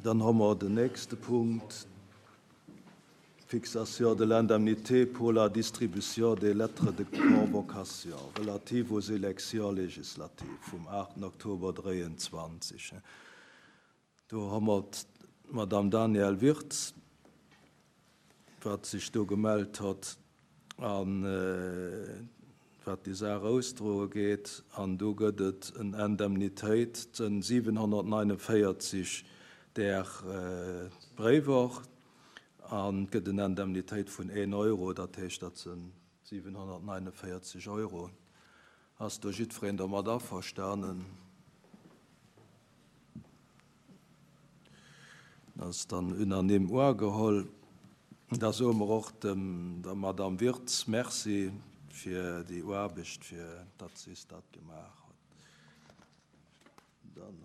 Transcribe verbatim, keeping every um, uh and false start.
Dann hu mer den nächste Punkt, Fixation de l'indemnité pour la distribution des lettres de convocation relatives aux élections législatives vum aachten Oktober dräianzwanzeg. Do hu mer d'Madame Danièle Wirtz, wat sech do gemellt huet an wat déi Saach ausdroe geet, an do gëtt et en Indemnitéit vun siwenhonnertneunundvéierzeg där Bréiwer an gëtt en Indemnitéit vun een Euro, dat heescht, dat sinn siwenhonnertneunundvéierzeg Euro. Ass do jiddwereen domat averstanen? Dat ass dann unanime ugeholl. Da soe mer och dem der Madame Wirtz Merci fir déi Aarbecht, fir datt si dat gemaach huet.